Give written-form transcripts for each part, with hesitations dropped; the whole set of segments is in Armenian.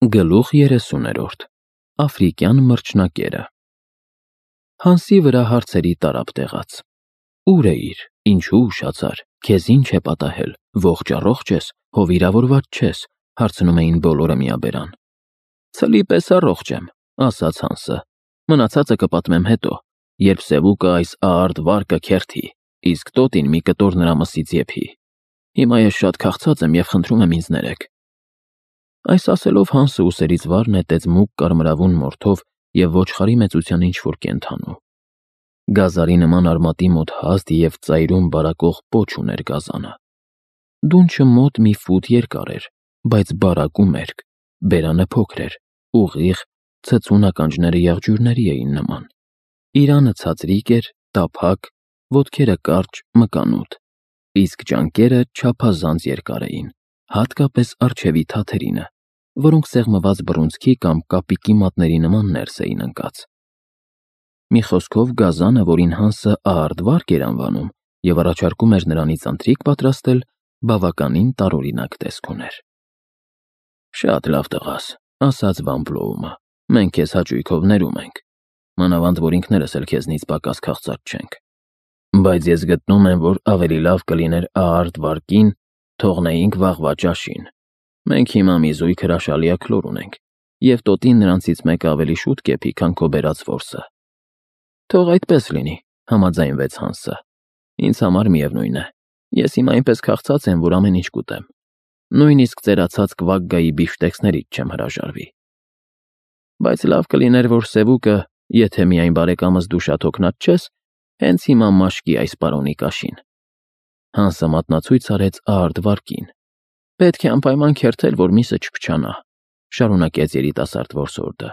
Գլուխ 30-րդ Աֆրիկյան մրջնակերը Հանսի վրա հարցերի տարափ տեղաց. Ուր էիր, ինչու ուշացար, քեզ ինչ է պատահել, ողջ առողջ ես, հո վիրավորված չես, հարցնում էին բոլորը միաբերան։ Ցլի պես առողջ եմ, ասաց Հանսը, մնացածը կպատմեմ հետո, երբ Սևուկը այս աարդ վարկը քերթի, իսկ տոտին մի կտոր նրա մսից եփի։ Հիմա ես շատ քաղցած եմ և խնդրում եմ ինձ ներեք։ Այս ասելով Հանսը ուսերից վար նետեց մուգ կարմրավուն մորթով և ոչխարի մեծության ինչ-որ կենդանու։ Գազարի նման արմատի մոտ հաստ և ծայրում բարակող պոչ ուներ գազանը։ Դունչը մոտ մի ֆուտ երկար էր, բայց բարակ ու մերկ, բերանը փոքր էր, ուղիղ, ցցուն ականջները եղջյուրների էին նման։ Իրանը ցածրիկ էր, տափակ, ոտքերը կարճ, մկանուտ, իսկ ճանկերը չափազանց երկար էին, հատկապես առջևի թաթերինը, որոնք սեղմված բռունցքի կամ կապիկի մատների նման ներս էին ընկած։ Մի խոսքով գազանը, որին Հանսը աարդ վարկ էր անվանում և առաջարկում էր նրանից ընթրիք պատրաստել, բավականին տարօրինակ տեսք ուներ։ Շատ լավ տղաս, ասաց Վան Բլոումը, մենք քեզ հաճույքով ներում ենք, մանավանդ որ ինքներս էլ քեզնից պակաս քաղցած չենք։ Բայց ես գտնում եմ, որ ավելի լավ կլիներ աարդ վարկին թողնեինք վաղվա ճաշին։ Մենք հիմա մի զույգ հրաշալի աքլոր ունենք, և տոտին նրանցից մեկը ավելի շուտ կեփի, քան քո բերած որսը։ Թող այդպես լինի, համաձայնվեց Հանսը։ Ինձ համար միևնույն է։ Ես հիմա այնպես քաղցած եմ, որ ամեն ինչ կուտեմ։ Նույնիսկ ծերացած կվակգայի բիֆշտեքսներից չեմ հրաժարվի։ Բայց լավ կլիներ, որ Սևուկը, եթե միայն բարեկամս դու շատ հոգնած չես, հենց հիմա մաշկի այս պարոնի կաշին։ Հանսը մատնացույց արեց աարդ վարկին։ Պետք է անպայման քերթել, որ միսը չփչանա, շարունակեց երիտասարդ որսորդը։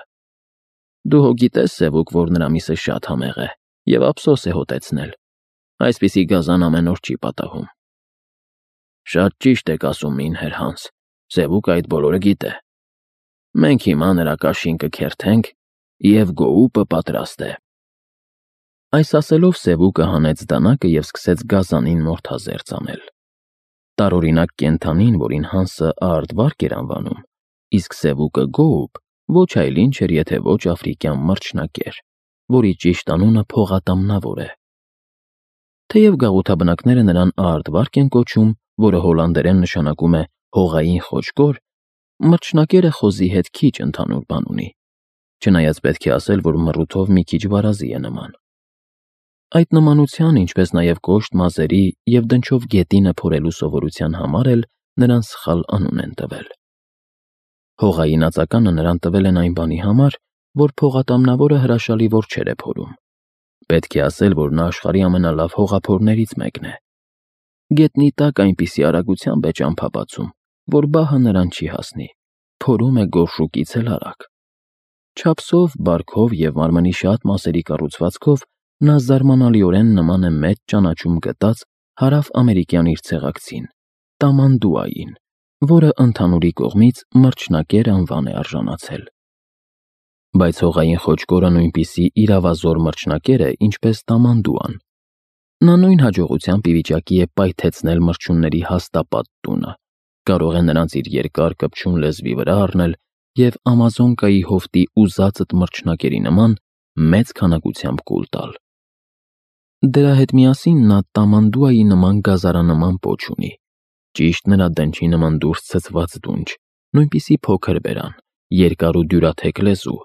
Դու հո գիտես, Սևուկ, որ նրա միսը շատ համեղ է և ափսոս է հոտեցնել։ Այսպիսի գազան ամեն օր չի պատահում։ Շատ ճիշտ եք ասում, մինհեր Հանս, Սևուկը այդ բոլորը գիտե։ Մենք հիմա նրա կաշին կքերթենք, և գոուպը պատրաստ է։ Այս ասելով Սևուկը հանեց դանակը և սկսեց գազանին մորթազերծ անել։ Տարօրինակ կենդանին, որին Հանսը աարդ վարկ էր անվանում, իսկ Սևուկը գոուպ, ոչ այլ ինչ էր, եթե ոչ աֆրիկյան մրջնակեր, որի ճիշտ անունը փողատամնավոր է։ Թեև գաղութաբնակները նրան աարդ վարկ են կոչում, որը հոլանդերեն նշանակում է հողային խոչկոր, մրջնակերը խոզի հետ քիչ ընդհանուր բան ունի, չնայած պետք է ասել, որ մռութով մի քիչ վարազի է նման։ Այդ նմանության, ինչպես նաև կոշտ մազերի և դնչով գետինը փորելու սովորության համար էլ նրան սխալ անուն են տվել։ Հողային ածականը նրան տվել են այն բանի համար, որ փողատամնավորը հրաշալի որջեր է փորում։ Պետք է ասել, որ նա աշխարհի ամենալավ հողափորներից մեկն է։ Գետնի տակ այնպիսի արագությամբ է ճամփա բացում, որ բահը նրան չի հասնի, փորում է գորշուկից էլ արագ։ Չափսով, բարքով և մարմնի շատ մասերի կառուցվածքով նա զարմանալիորեն նման է մեծ ճանաչում գտած հարավ-ամերիկյան իր ցեղակցին՝ Տամանդուային, որը ընդհանուրի կողմից մրջնակեր անվան է արժանացել։ Բայց հողային խոչկորը նույնպիսի իրավազոր մրջնակեր է, ինչպես Տամանդուան։ Նա նույն հաջողությամբ ի վիճակի է պայթեցնել մրջյունների հաստապատ տունը, կարող է նրանց իր երկար կպչուն լեզվի վրա առնել և Ամազոնկայի հովտի ուզածդ մրջնակերի նման մեծ քանակությամբ կուլ տալ։ Դրա հետ միասին նա Տամանդուայի նման գազարանման պոչ ունի, ճիշտ նրա դնչի նման դուրս ցցված դունչ, նույնպիսի փոքր բերան, երկար ու դյուրաթեք լեզու։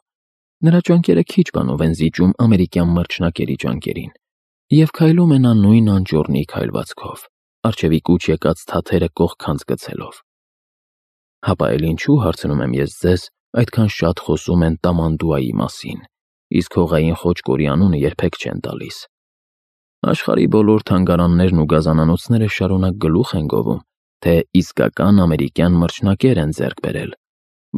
Նրա ճանկերը քիչ բանով են զիջում ամերիկյան մրջնակերի ճանկերին, և քայլում է նա նույն անճոռնի քայլվածքով, առջևի կուչ եկած թաթերը կողքանց գցելով։ Հապա էլ ինչու, հարցնում եմ ես ձեզ, այդքան շատ խոսում են Տամանդուայի մասին, իսկ հողային խոչկորի անունը երբեք չեն տալիս։ Աշխարհի բոլոր թանգարաններն ու գազանանոցները շարունակ գլուխ են գովում, թե իսկական ամերիկյան մրջնակեր են ձեռք բերել,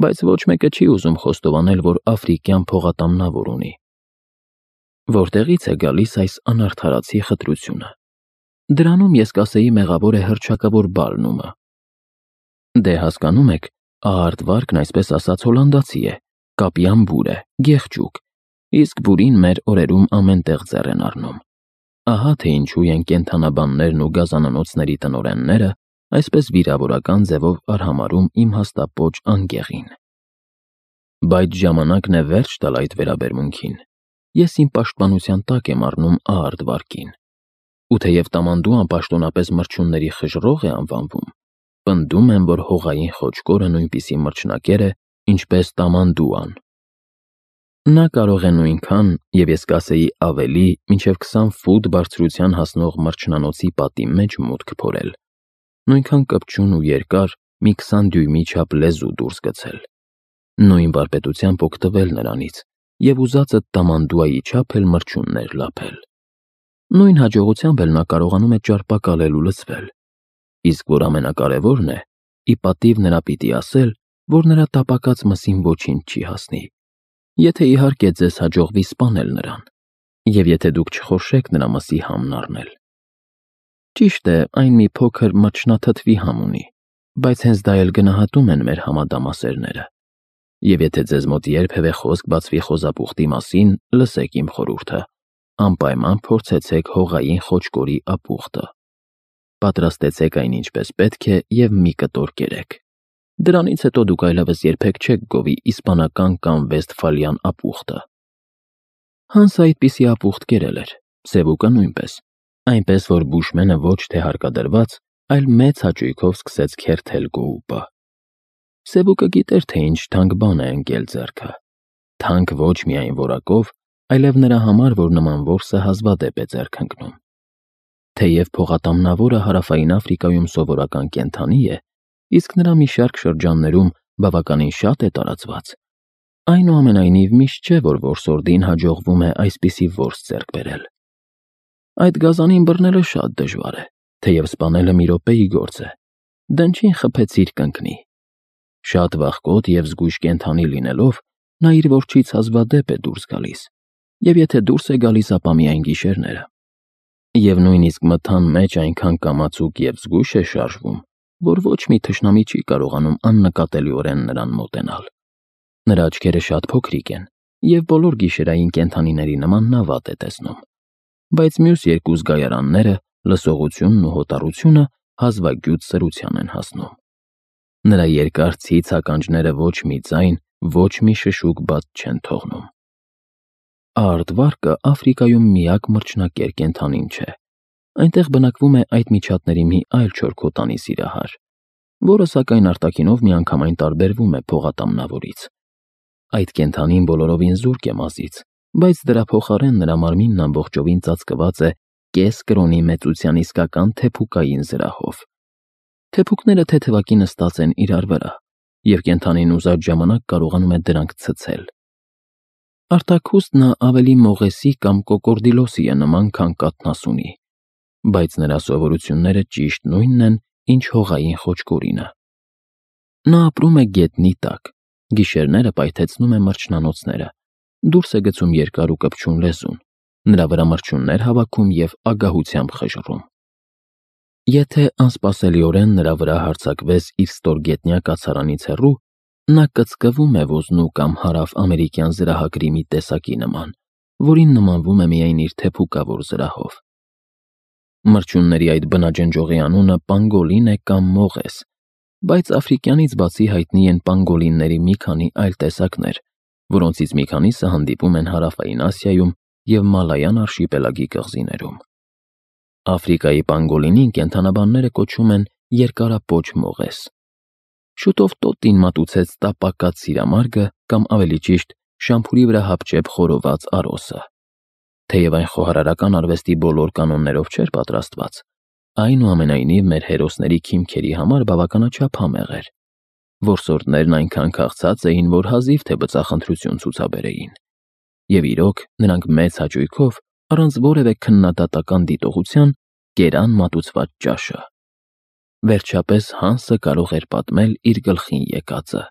բայց ոչ մեկը չի ուզում խոստովանել, որ աֆրիկյան փողատամնավոր ունի։ Որտեղից է գալիս այս անարդարացի խտրությունը։ Դրանում ես կասեի մեղավոր է հռչակավոր Բալնումը։ Դե հասկանում եք, աարդ վարկն այսպես ասած հոլանդացի է, կապյան բուր է, գեղջուկ, իսկ բուրին մեր օրերում ամեն տեղ ձեռ են առնում։ Ահա թե ինչու են կենդանաբաններն ու գազանանոցների տնօրենները այսպես վիրավորական ձևով արհամարհում իմ հաստապոչ անգեղին։ Բայց ժամանակն է վերջ տալ այդ վերաբերմունքին։ Ես իմ պաշտպանության տակ եմ առնում Աարդվարկին։ Ու թեև տամանդուան պաշտոնապես մրջյունների խժռող է անվանվում, պնդում եմ, որ հողային խոճկորը նույնպիսի մրջնակեր է, ինչպես տամանդուան։ Նա կարող է նույնքան, և ես կասեի ավելի, մինչև 20 ֆուտ բարձրության հասնող մրջնանոցի պատի մեջ մուտք փորել, նույնքան կպչուն ու երկար մի 20 դյույմի չափ լեզու դուրս գցել, նույն վարպետությամբ օգտվել նրանից և ուզածդ տամանդուայի չափ էլ մրջյուններ լափել։ Նույն հաջողությամբ էլ նա կարողանում է ճարպակալել ու լցվել, իսկ որ ամենակարևորն է, ի պատիվ նրա պիտի ասել, որ նրա տապակած մսին ոչինչ չի հասնի, եթե իհարկե ձեզ հաջողվի սպանել նրան, և եթե դուք չխորշեք նրա մսի համն առնել։ Ճիշտ է, այն մի փոքր մրջնաթթվի համ ունի, բայց հենց դա էլ գնահատում են մեր համադամասերները, և եթե ձեզ մոտ երբևէ խոսք բացվի խոզապուխտի մասին, լսեք իմ խորհուրդը, անպայման փորձեցեք հողային խոճկորի ապուխտը։ Պատրաստեցեք այն ինչպես պետք է և մի կտոր կերեք։ Դրանից հետո դուք այլևս երբեք չեք գովի իսպանական կամ վեստֆալյան ապուխտը։ Հանսը այդպիսի ապուխտ կերել էր, Սևուկը նույնպես, այնպես որ բուշմենը ոչ թե հարկադրված, այլ մեծ հաճույքով սկսեց քերթել գոուպը։ Սևուկը գիտեր, թե ինչ թանկ բան է ընկել ձեռքը։ Թանկ ոչ միայն որակով, այլև նրա համար, որ նման որսը հազվադեպ է ձեռք ընկնում։ Թեև փողատամնավորը Հարավային Աֆրիկայում սովորական կենդանի է, իսկ նրա մի շարք շրջաններում բավականին շատ է տարածված, այնուամենայնիվ միշտ չէ, որ որսորդին հաջողվում է այսպիսի որս ձեռք բերել։ Այդ գազանին բռնելը շատ դժվար է, թեև սպանելը մի րոպեի գործ է։ Դնչին խփեցիր կընկնի։ Շատ վախկոտ և զգույշ կենդանի լինելով, նա իր որջից հազվադեպ է դուրս գալիս, և եթե դուրս է գալիս, ապա միայն գիշերները։ Եվ նույնիսկ մթան մեջ այնքան կամացուկ և զգույշ է շարժվում, որ ոչ մի թշնամի չի կարողանում աննկատելիորեն նրան մոտենալ։ Նրա աչքերը շատ փոքրիկ են, և բոլոր գիշերային կենդանիների նման նա վատ է տեսնում, բայց մյուս երկու զգայարանները, լսողությունն ու հոտառությունը հազվագյուտ սրության են հասնում։ Նրա երկար ցից ականջները ոչ մի ձայն, ոչ մի շշուկ բաց չեն թողնում։ Աարդվարկը Աֆրիկայում միակ մրջնակեր կենդանին չէ։ Այնտեղ բնակվում է այդ միջատների մի այլ չորքոտանի սիրահար, որը սակայն արտաքինով միանգամայն տարբերվում է փողատամնավորից։ Այդ կենդանին բոլորովին զուրկ է մազից, բայց դրա փոխարեն նրա մարմինն ամբողջովին ծածկված է կես կրոնի մեծության իսկական թեփուկային զրահով։ Թեփուկները թեթևակի նստած են իրար վրա, և կենդանին ուզած ժամանակ կարողանում է դրանք ցցել։ Արտաքուստ նա ավելի մողեսի կամ կոկորդիլոսի է նման, քան կաթնասունի, բայց նրա սովորությունները ճիշտ նույնն են, ինչ հողային խոճկորինը։ Նա ապրում է գետնի տակ, գիշերները պայթեցնում է մրջնանոցները, դուրս է գցում երկար ու կպչուն լեզուն, նրա վրա մրջյուններ հավաքում և ագահությամբ խժռում։ Եթե անսպասելիորեն նրա վրա հարձակվես իր ստորգետնյա կացարանից հեռու, նա կծկվում է ոզնու կամ հարավ-ամերիկյան զրահագրի մի տեսակի նման, որին նմանվում է միայն իր թեփուկավոր զրահով։ Մրջյունների այդ բնաջնջողի անունը պանգոլին է կամ մողես, բայց աֆրիկյանից բացի հայտնի են պանգոլինների մի քանի այլ տեսակներ, որոնցից մի քանիսը հանդիպում են Հարավային Ասիայում և Մալայան արշիպելագի կղզիներում։ Աֆրիկայի պանգոլինին կենդանաբանները կոչում են երկարապոչ մողես։ Շուտով տոտին մատուցեց տապակած սիրամարգը կամ ավելի ճիշտ շամփուրի վրա հապճեպ խորոված արոսը։ Թեև այն խոհարարական արվեստի բոլոր կանոններով չէր պատրաստված, այնուամենայնիվ մեր հերոսների քիմքերի համար բավականաչափ համեղ էր։ Որսորդներն այնքան քաղցած էին, որ հազիվ թե բծախնդրություն ցուցաբերեին։ Եվ իրոք, նրանք մեծ հաճույքով, առանց որևէ քննադատական դիտողության, կերան մատուցված ճաշը։ Վերջապես Հանսը կարող էր պատմել իր գլխին եկածը։